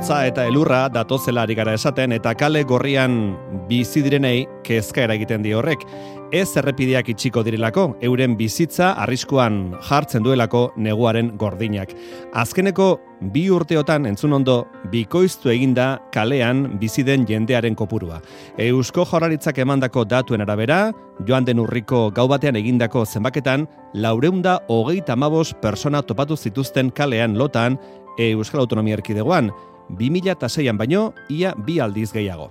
hotza eta elurra datozela ari gara esaten eta kale gorrian bizi direnei kezka eragiten die horrek. Ez errepideak itxiko direlako, euren bizitza arriskuan jartzen duelako neguaren gordinak. Azkeneko 2 urteotan entzun ondo bikoiztu eginda kalean bizi den jendearen kopurua. Eusko Jaurlaritzak emandako datuen arabera, joan den urriko gau batean egindako zenbaketan, 435 persona topatu zituzten kalean lotan Euskal Autonomia Erkidegoan, 2006an baino ia 2 aldiz gehiago.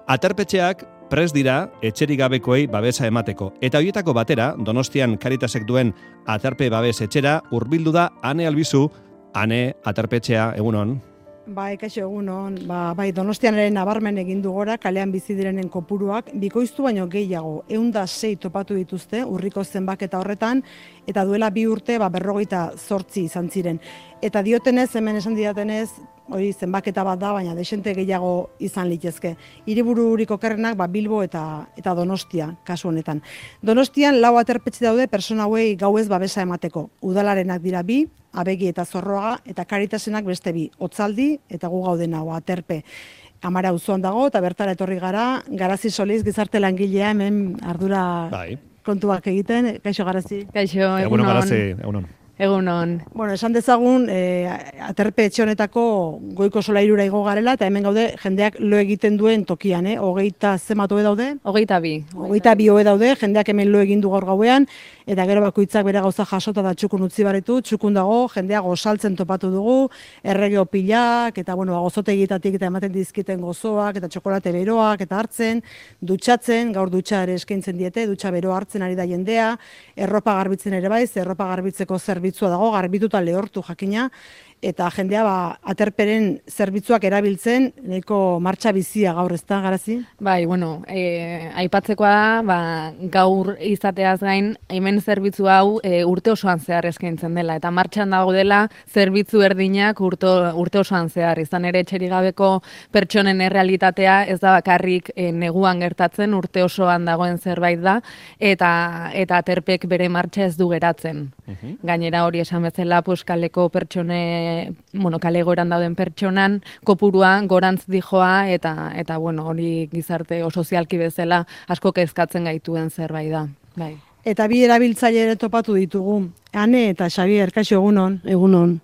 Aterpetxeak prest dira etxerik gabekoei babesa emateko. Eta horietako batera, Donostian Caritasek duen aterpe babes etxera hurbildu da Ane Albizu. Ane, aterpetxea, egunon. Bai, kaixo egunon. Bai, Donostianaren nabarmen egin du gora kalean bizi direnen kopuruak bikoiztu baino gehiago. 106 topatu dituzte urriko zenbaketa horretan eta duela 2 urte 58 izan ziren. Eta diotenez, hemen esan didatenez, hori zenbaketa bat da, baina desente gehiago izan litezke. Hiribururik okerrenak Bilbo eta Donostia kasu honetan. Donostian 4 aterpetxe daude persona hauei gauez babesa emateko. Udalarenak dira 2, Abegi eta Zorroaga, eta Caritasenak beste 2, Otzaldi eta gu gauden hau aterpe. Amara auzoan dago eta bertara etorri gara, Garazi Soliz gizarte langilea hemen ardura kontuak egiten. Kaixo Garazi. Kaixo, egunon. Garazi, egunon. Egunon. Bueno, esan dezagun, aterpe etxe honetako goiko solairura igo garela, eta hemen gaude jendeak lo egiten duen tokian, 20 zenbat hoe daude? 22. 22 hoe daude, jendeak hemen lo egin du gaur gauean, eta gero bakoitzak bere gauza jasota da txukun utzi baritu, txukun dago, jendeak gosaltzen topatu dugu, errege opilak, eta gozotegietatik eta ematen dizkiten gozoak, eta txokolate beroak, eta hartzen, dutxatzen, gaur dutxa ere eskaintzen diete, dutxa beroa hartzen ari da jendea, erropa garbitzen ere bai, erropa garbitzeko zerbitzua dago, garbituta lehortu jakina, eta jendea aterperen zerbitzuak erabiltzen, nahiko martxa bizia gaur, ez da, Garazi? Bai, bueno, aipatzekoa da, gaur izateaz gain, hemen zerbitzu hau urte osoan zehar eskaintzen dela, eta martxan dago dela zerbitzu erdinak urte osoan zehar, izan ere etxerik gabeko pertsonen errealitatea ez da bakarrik neguan gertatzen, urte osoan dagoen zerbait da, eta aterpek bere martxa ez du geratzen. Gainera hori esan bezala, kaleko kale goran dauden pertsonan, kopuruan gorantz dijoa, eta hori gizarte sozialki bezala asko kezkatzen gaituen zerbait da. Bai. Eta 2 erabiltzaile ere topatu ditugu. Ane eta Xabier, kaixo egunon. Egunon.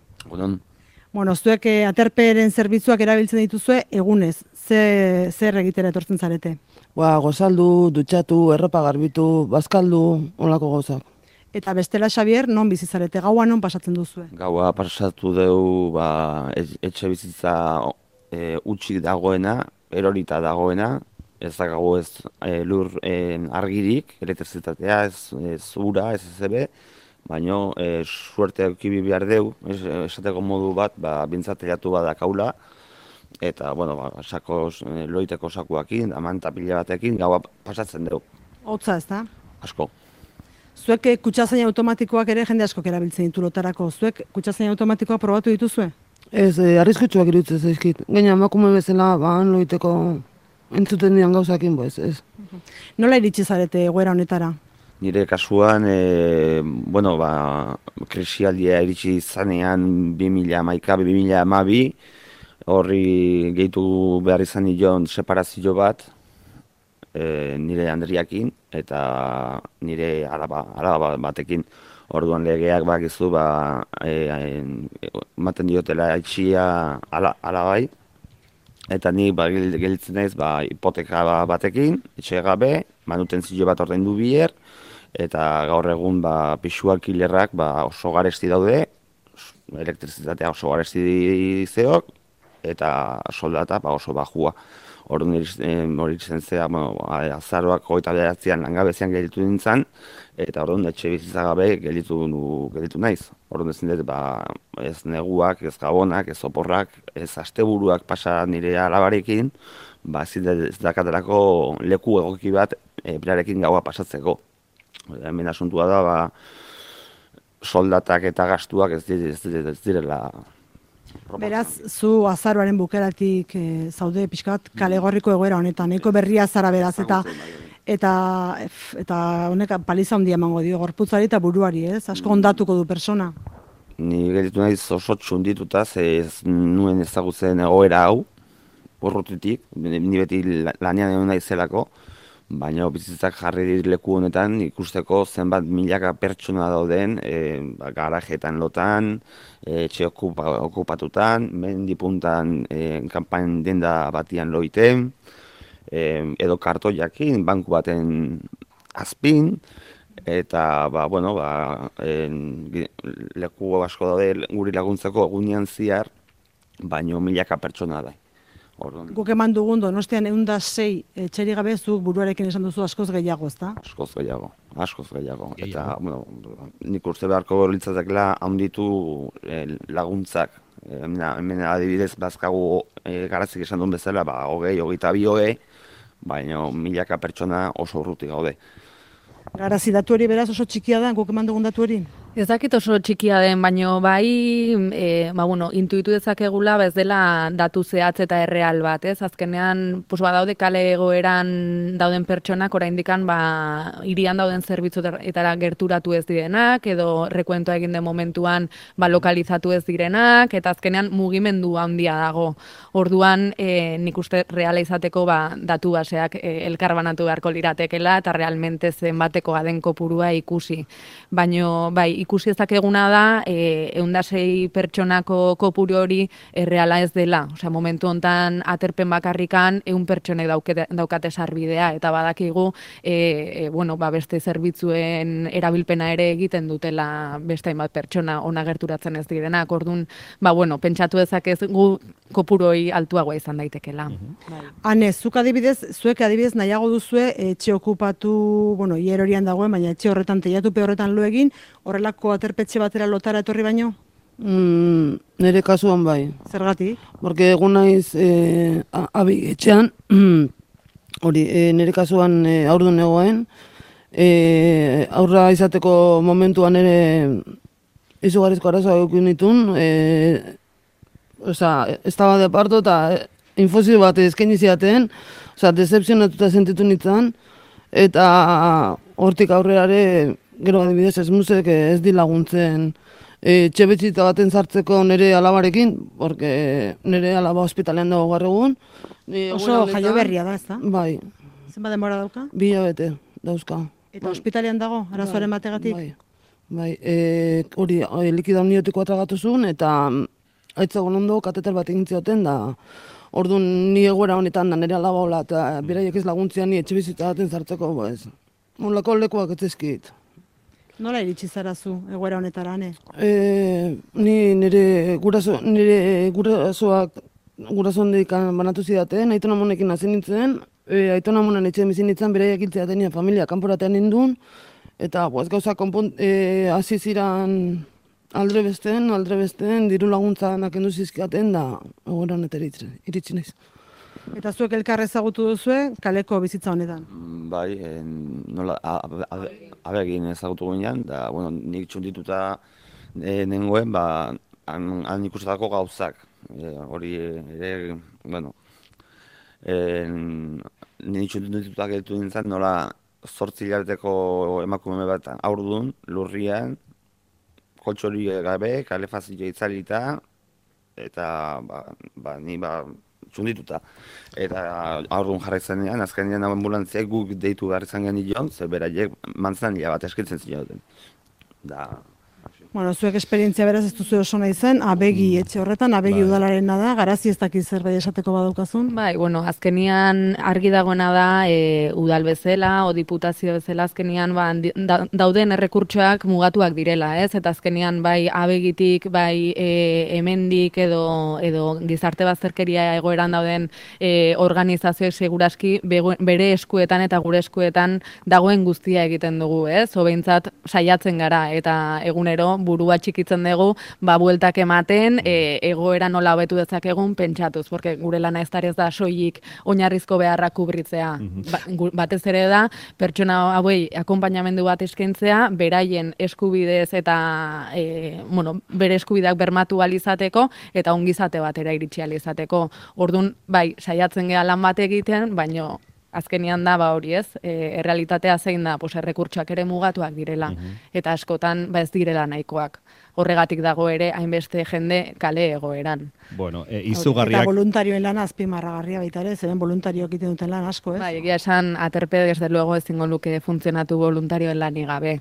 Bueno, zuek aterperen zerbitzuak erabiltzen dituzue egunez. Zer egitera etortzen zarete? Gozaldu, dutxatu, erropa garbitu, bazkaldu, onlako gauzak. Eta bestela, Xabier, non bizi zarete? Gaua non pasatzen duzue? Gaua pasatu dugu etxe bizitza utxik dagoena, erorita dagoena, ez dakago ez lur argirik, elektrizitatea, ez ura, ez ezebe, baina suerte eukibi behar deu, esateko modu bat, bintzatelatu bat dakaula, eta, loiteko sakuakin, amanta pila batekin, gaua pasatzen dugu. Hotza, ez da? Asko. Zuek kutxazain automatikoak ere jende askok erabiltzen ditu lotarako. Zuek kutxazain automatikoak probatu dituzue? Ez, arriskutsuak iruditzen zaizkit. Gaina emakume bezala, loiteko entzuten dian gauzakin, ez. Nola iritsi zarete egoera honetara? Nire kasuan, krisialdia iritsi zanean 2011-2012, horri gehitu behar izan nion separazio bat, nire Andriakin eta nire alaba batekin. Orduan legeak bakizu ematen diotela etxia alabai, eta ni gelditzen naiz hipoteka batekin, etxe gabe, manutentzio bat ordaindu bier, eta gaur egun pixuak hilerrak oso garesti daude, elektrizitatea oso garesti zeok, eta soldata oso bajua. Orduan hori zen zea, azaroak 29an langabezian gelditu nintzen, eta orduan etxe bizitza gabe gelditu naiz. Orduan ezin dut, ez neguak, ez gabonak, ez oporrak, ez asteburuak pasa nire alabarekin, ez dakatelako leku egoki bat berarekin gaua pasatzeko. Hemen asuntua da, soldatak eta gastuak ez direla. Beraz, zu azaroaren bukeratik zaude pixkat kalegorriko egoera honetan, nahiko berria zara beraz, eta honek paliza handia emango dio gorputzari eta buruari, ez? Asko ondatuko du persona. ni gelditu naiz oso txundituta, ze ez nuen ezagutzen egoera hau, urrutitik, ni beti lanean egon naizelako, baina bizitzak jarri leku honetan ikusteko zenbat milaka pertsona dauden garajetan lotan, etxe okupatutan, mendipuntan kanpain denda batian loiten, edo kartoiakin, banku baten azpin, eta leku asko daude guri laguntzeko egunean zehar, baino milaka pertsona da. Guk eman dugun Donostian 106 etxerik gabe zuk buruarekin esan duzu askoz gehiago, ezta? Askoz gehiago. Eta, nik uste beharko litzatekela handitu laguntzak. Hemen adibidez bazkagu Garazik esan duen bezala, 22, baina milaka pertsona oso urruti gaude. Garazi datu hori beraz oso txikia da, guk eman dugun datu hori? Ez dakit oso txikia den, baino bai, intuitu dezakegula, ez dela datu zehatz eta erreal bat, ez? Azkenean, badaude kale egoeran dauden pertsonak, oraindikan, hirian dauden zerbitzuetara gerturatu ez direnak, edo rekuentoa egin den momentuan, lokalizatu ez direnak, eta azkenean mugimendu handia dago. Orduan, nik uste reala izateko, datu baseak elkarbanatu beharko liratekela, eta realmente zenbateko den kopurua ikusi. Baino, bai, ikusi ezakeguna da, 106 pertsonako kopuru hori erreala ez dela. Osea, momentu hontan aterpen bakarrikan 100 pertsonek daukate sarbidea, eta badakigu, beste zerbitzuen erabilpena ere egiten dutela beste hainbat pertsona ona gerturatzen ez direnak. Orduan, pentsatu dezakegu kopuru hori altuagoa izan daitekela. Ane, zuek adibidez nahiago duzue etxe okupatu, hier horian dagoen, baina etxe horretan, teiatupe horretan lo egin, horrelako aterpetxe batera lotara etorri baino? Nire kasuan bai. Zergatik? Porque egun naiz abi etxean, nire kasuan haurdun egoen, aurra izateko momentuan ere izugarrizko arazoa egin ditun, ez daba de parto eta infusio bat eskaini ziaten, decepzionatuta sentitu nintzen, eta hortik aurrerare, gero adibidez ez musek ez di laguntzen txebetxita baten sartzeko nire alabarekin, porque nire alaba hospitalean dago gaur egun. Oso jaio berria da, ez da? Bai. Zenba denbora dauka? 2 hilabete dauzka. Eta hospitalean dago, arazoaren bategatik? Bai, hori likida amniotikoa tragatu zuen, eta aitzagon ondo kateter bat egin zioten da. Orduan ni egoera honetan da nire alaba hola, eta beraiek ez laguntzia ni etxe bizitza baten sartzeko, Olako lekuak ez ezkit. Nola iritsi zara zu egoera honetara, ne? Ni nire gurasoan dedikan banatu zidaten, Aiton Amonekin hasi nintzen, Aiton Amonen etxean bizi nintzen, beraiek hiltzeaten familia kanporatean nindun, eta gauza hasi ziran aldre besten, diru laguntza nakendu zizkiaten, da egoera honetara iritsi naiz. Eta zuek elkar ezagutu duzue kaleko bizitza honetan? Bai, nola, abegin ezagutu ginean, da, nik txundituta nengoen, han ikustako gauzak. Hori ere, nik txundituta gelditu nintzen, nola 8 hilabeteko emakume bat haurdun, lurrian, koltxori gabe, kalefazioa itzalita, eta ni txundituta. Eta aurrun jarraitzen azkenean ambulantziak guk deitu behar izan genion, ze beraiek manzanila bat eskitzen zioten. Zuek esperientzia beraz ez duzu oso nahi zen, abegi etxe horretan, abegi udalarena da, Garazi ez dakiz zerbait esateko badaukazun? Bai, azkenian argi dagoena da, udal bezala, o diputazio bezala, azkenian dauden errekurtsoak mugatuak direla, ez? Eta azkenian bai abegitik, bai hemendik edo gizarte bazterkeria egoeran dauden organizazioek seguraski bere eskuetan eta gure eskuetan dagoen guztia egiten dugu, ez? Behintzat saiatzen gara eta egunero burua txikitzen dugu, bueltak ematen, egoera nola hobetu dezakegun pentsatuz, porque gure lana ez da soilik oinarrizko beharrak kubritzea. Batez ere da, pertsona hauei akonpainamendu bat eskaintzea, beraien eskubidez eta bere eskubideak bermatu alizateko, eta ongizate batera iritsi alizateko. Orduan, bai, saiatzen gea lan bat egiten, baino azkenian da, hori ez, errealitatea zein da, errekurtsoak ere mugatuak direla, eta askotan ez direla nahikoak. horregatik dago ere hainbeste jende kale egoeran. Bueno, Eta izugarriak... voluntarioen lana azpimarragarria baita ere, zeren voluntarioak egiten duten lan asko, ez? Bai, egia esan aterpe desde luego ezingo luke funtzionatu voluntarioen lanik gabe.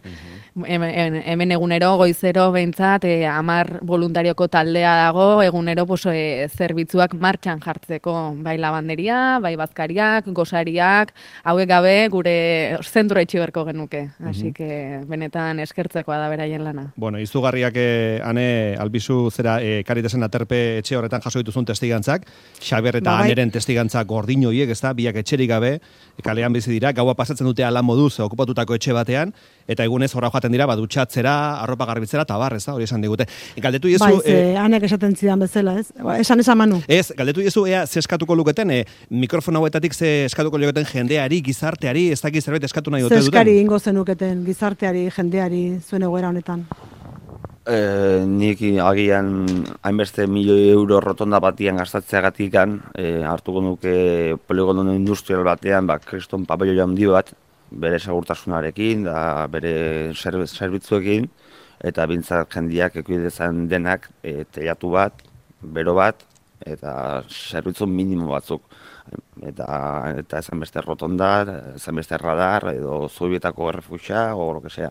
Hemen egunero goizero behintzat 10 voluntarioko taldea dago, egunero zerbitzuak martxan jartzeko, bai labanderia, bai bazkariak, gosariak, hauek gabe gure zentroa itxi beharko genuke. Así que benetan eskertzekoa da beraien lana. Bueno, izugarriak ane albizu zera Caritasen aterpe etxe horretan jaso dituzun testigantzak, Xabier eta Bai. Aneren testigantzak gordin horiek, ezta, biak etxerik gabe, kalean bizi dira, gaua pasatzen dute ala moduz okupatutako etxe batean, eta egunez horra joaten dira, dutxatzera, arropa garbitzera, eta bar, ez da, hori esan digute. Galdetu iezu... Bai, ze Anek esaten zidan bezala, ez? Esan Manu. Ez, galdetu iezu, ea, ze eskatuko luketen, mikrofono hauetatik ze eskatuko luketen jendeari, gizarteari, ez dakit zerbait eskatu nahi dute Ze duten? eskari ingo zenuketen gizarteari, jendeari, zuen egoera honetan. Nik agian hainbeste milioi euro rotonda batian gastatzeagatik hartuko nuke poligono industrial batean, kriston pabelloi handi bat, bere segurtasunarekin, da bere zerbitzuekin, eta bintzat jendiak ekuidezan denak telatu bat, bero bat, eta zerbitzu minimo batzuk. Eta ezan beste rotonda, ezan beste radar, edo zubietako errefuxa, o lo que sea.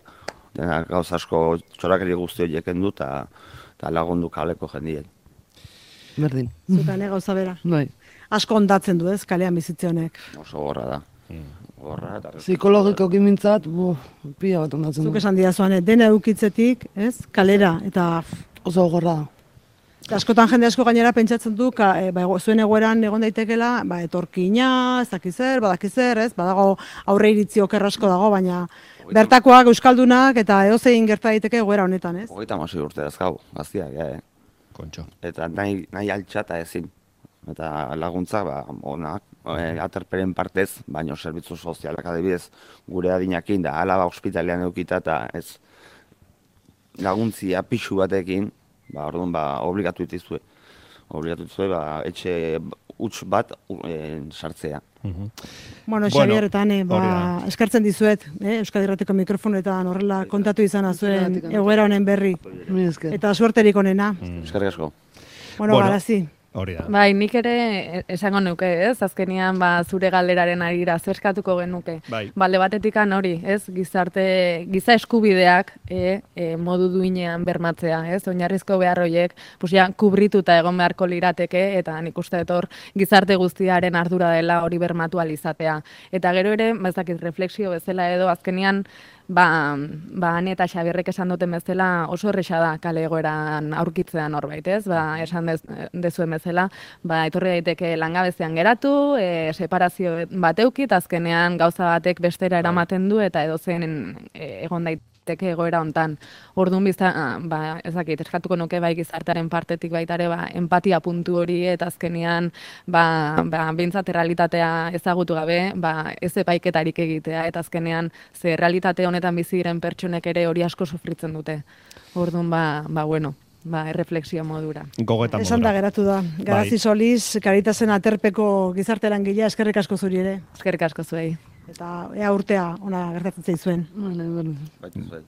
Denak gauza asko txorakeri guzti horiek endu eta lagundu kaleko jendien. Berdin. Zutane gauza bera. Bai. Asko ondatzen du, ez, kalean bizitze honek. Oso gorra da. Gorra eta... Psikologikoki mintzat, pila bat ondatzen Zuk du. esan didazuan, dena eukitzetik, ez, kalera, eta Oso gorra da. askotan jende asko gainera pentsatzen du, zuen egoeran egon daitekela, etorkina, ez dakizer, badakizer, ez, badago aurre iritzi oker asko dago, baina bertakoak, euskaldunak, eta edozein gerta daiteke egoera honetan, ez? 36 urte dazkau, gaztiak, Kontxo. Eta nahi altxata ezin. Eta laguntza, onak, aterperen partez, baino zerbitzu sozialak adibidez gure adinakin, da alaba ospitalean eukita, eta ez laguntzia pixu batekin, orduan, obligatu dituzue. Obligatu dituzue, etxe huts bat sartzea. Bueno, Xabier, eta hori da. eskertzen dizuet, Euskadi Irratiko mikrofonetan horrela kontatu izana zuen egoera honen berri. Mila esker. Eta suerterik onena. Eskerrik asko. Bueno, garazi. Hori da. Bai, nik ere esango nuke, ez? Azkenian zure galderaren arira zerskatuko genuke. Bai. Balde batetikan hori, ez? Giza eskubideak modu duinean bermatzea, ez? Oinarrizko behar horiek, kubrituta egon beharko lirateke, eta nik uste hor gizarte guztiaren ardura dela hori bermatu alizatea. Eta gero ere, ezakit, refleksio bezala edo, azkenian, Ane eta Xabierrek esan duten bezala oso erresa da kale egoeran aurkitzea norbait, ez? Esan dezuen bezala, etorri daiteke langabezian geratu, separazio bat eukit, azkenean gauza batek bestera eramaten du eta edozen egon daiteke egoera hontan. Orduan ezakit, eskatuko nuke bai gizartearen partetik baita ere empatia puntu hori eta azkenean behintzat realitatea ezagutu gabe, ez epaiketarik egitea eta azkenean ze realitate honetan bizi diren pertsonek ere hori asko sufritzen dute. Orduan bueno, erreflexio modura. Gogoetan modura. Esan da geratu da. Garazi Soliz, Caritasen aterpeko gizarte langilea, eskerrik asko zuri ere. Eskerrik asko zuei. Eta ea urtea ona gertatzen zaizuen. Berdin. Baitu zuen.